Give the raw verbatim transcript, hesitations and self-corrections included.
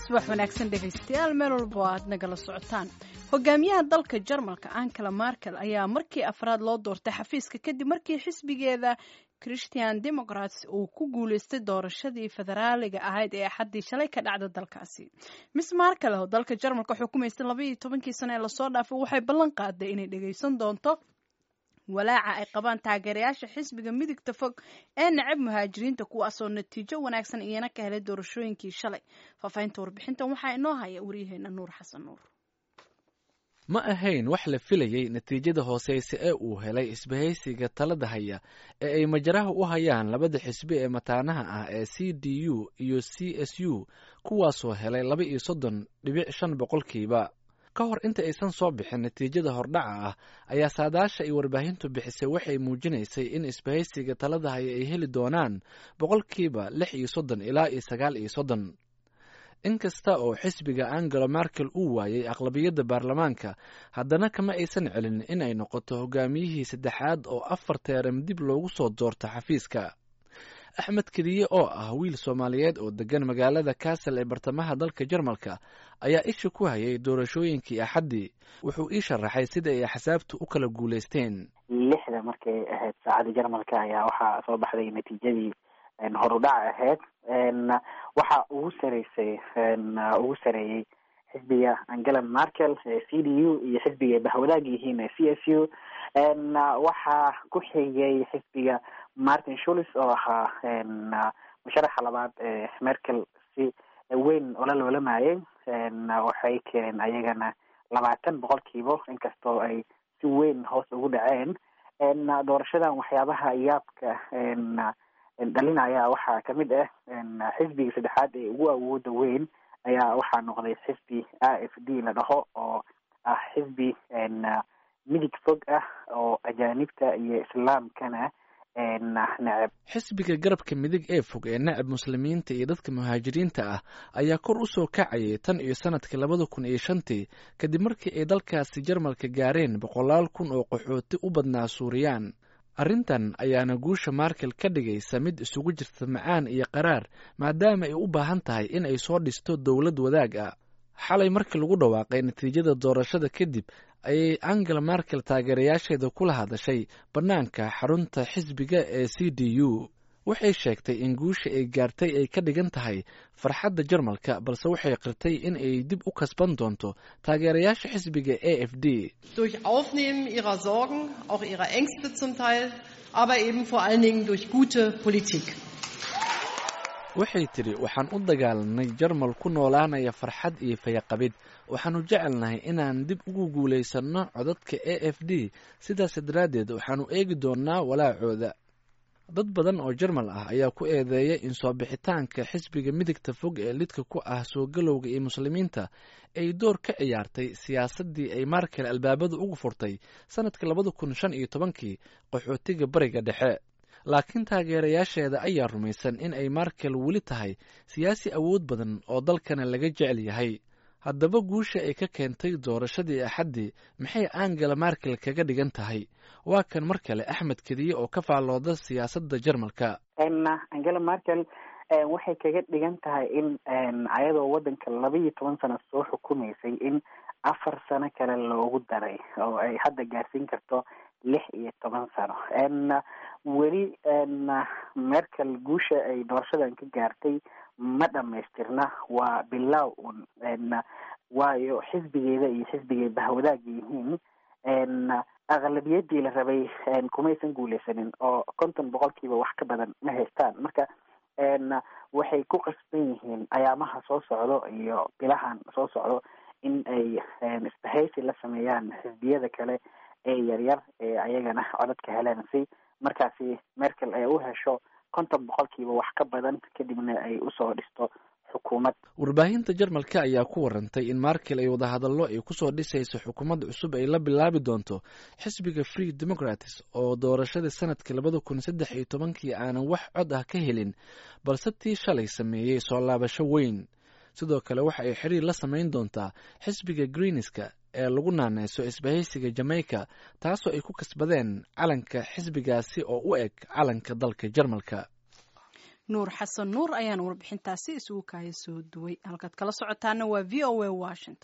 Subax wanaagsan dhegaystayaal, meel walba oo aad nagala socotaan. Hogaamiyaha dalka Jarmalka Angela Merkel ayaa markii afraad loo doortay xafiiska kadib markii xisbigeeda Christian Democrats uu ku guuleystay doorashadii federaaliga ahayd ee Axaddii shalay ka dhacda dalkaasi. Miss Merkel oo dalka Jarmalka xukumaysay labaiyo tobankii sano ee lasoo dhaafay waxay ballan qaaday inay dhegaysan doonto walaaca ay qabaan taageerayaasha xisbiga midigta fog ee necab muhaajiriinta, kuwaasoo natiijo wanaagsan iyana ka helay doorashooyinkii shalay. Faahfaahinta warbixintan waxaa inoo haya waryaheena Nuur Xasan Nuur. Ma ahayn wax la filayey natiijada hooseyse ee uu helay isbahaysiga talada haya ee ay majaraha u hayaan labada xisbi ee mataanaha ah ee C D U iyo C S U, kuwaasoo helay laba iyo soddon dhibic shan boqolkiiba. Ka hor inta aysan soo bixin natiijada hordhaca ah ayaa saadaasha ay warbaahintu bixisay waxay muujinaysay in isbahaysiga talada haya ay heli doonaan boqolkiiba lix iyo soddon ilaa iyo sagaal iyo soddon. Inkasta oo xisbiga Angela Merkel uu waayey aqlabiyadda baarlamaanka, haddana kama aysan celin in ay noqoto hogaamiyihii saddexaad oo afar teeram dib loogu soo doorto xafiiska. Axmed Kediye oo ah wiil Soomaaliyeed oo degan magaalada Kassel ee bartamaha dalka Jarmalka ayaa isha ku hayay doorashooyinkii Axaddii. Wuxuu ii sharaxay sida ay axsaabtu u kala guulaysteen. Lixda markay ahayd saacadda Jarmalka ayaa waxaa soo baxday natiijadii horudhac ahayd. Waxa ugu sareysay ugu sareeyey xisbiga Angela Merkel ee C D U iyo xisbiga ay bahwadaag yihiin ee C S U. Waxaa ku xigay xisbiga Martin Schulz oo ahaa musharaxa labaad ee Merkel si weyn ula loolamayay. Waxay keeneen ayagana labaatan boqolkiiba, inkastoo ay si weyn hoos ugu dhaceen. Doorashadan waxyaabaha yaabka dhalinaya waxaa kamid ah xisbiga saddexaad ee ugu awooda weyn ayaa waxaa noqday xisbi A F D la dhaho, oo ah xisbi midig fog ah oo ajaanibta iyo Islaamkana neceb. Xisbiga garabka midig ee fog ee necab Muslimiinta iyo dadka muhaajiriinta ah ayaa kor u soo kacayay tan iyo sanadkii labada kun iyo shantii, kadib markii ay dalkaasi Jarmalka gaareen boqolaal kun oo qaxooti u badnaa Suuriyaan. Arrintan ayaana guusha Merkel ka dhigaysa mid isugu jirta macaan iyo qaraar, maadaama ay u baahan tahay in ay soo dhisto dowlad wadaag ah. Xalay markii lagu dhawaaqay natiijada doorashada kadib ayay Angela Merkel taageerayaasheeda kula hadashay bannaanka xarunta xisbiga ee C D U. Waxay sheegtay in guusha ay gaartay ay ka dhigan tahay farxadda Jarmalka, balse waxay qirtay in ay dib u kasban doonto taageerayaasha xisbiga A F D. Durch Aufnehmen ihrer Sorgen, auch ihrer Ängste zum Teil, aber eben vor allen Dingen durch gute Politik. Waxay tidhi: "Waxaan u dagaalanay Jarmal ku noolaanaya farxad iyo fayaqabid. Waxaanu jecelnahay inaan dib ugu guulaysanno codadka A F D. Sidaas daraaddeed waxaanu eegi doonnaa walaacooda." Dad badan oo Jarmal ah ayaa ku eedeeya in soo bixitaanka xisbiga midigta fog ee lidka ku ah soo galowga iyo Muslimiinta ay door ka ciyaartay siyaasaddii ay Merkel albaabada ugu furtay sanadka labada kun shan iyo tobankii qaxootiga Bariga Dhexe. Laakiin taageerayaasheeda ayaa rumaysan in ay Merkel weli tahay siyaasi awood badan oo dalkana laga jecel yahay. Haddaba guusha ay ka keentay doorashadii Axaddii maxay Angela Merkel kaga dhigan tahay? Waa kan mar kale Axmed Kediye oo ka faallooda siyaasadda Jarmalka. Angela Merkel waxay kaga dhigan tahay in ayadoo wadanka laba iyo toban sano soo xukumaysay in afar sano kale loogu daray, oo ay hadda gaarsiin karto lix iyo toban sano. Weli Merkel guusha ay doorashadan ka gaartay ma dhamaystirna, waa bilaaw un, waayo xisbigeeda iyo xisbigay bahwadaaga yihiin aqlabiyadii la rabay kumaysan guuleysanin, oo konton boqolkiiba wax ka badan ma haystaan. Marka waxay ku qasban yihiin ayaamaha soo socdo iyo bilahan soo socdo in ay isbahaysi la sameeyaan xisbiyada kale ee yaryar ee ayagana codadka heleen, si markaasi Merkel ay u hesho konton boqolkiiba wax ka badan, kadibna ay usoo dhisto xukuumad. Warbaahinta Jarmalka ayaa ku warantay in Merkel ay wadahadallo ay kusoo dhisayso xukuumad cusub ay la bilaabi doonto xisbiga Free Democrats, oo doorashadii sanadkii labada kun saddex iyo tobankii aanan wax cod ah ka helin, balse tii shalay sameeyey soo laabasho weyn. Sidoo kale waxa ay xiriir la samayn doontaa xisbiga Greenska ee lagu naaneyso isbahaysiga Jamaica, taasoo ay ku kasbadeen calanka xisbigaasi oo u eg calanka dalka Jarmalka. Nuur Xasan Nuur ayaana warbixintaasi isugu kaaya soo duway. Halkaad kala socotaana waa V O A Washington.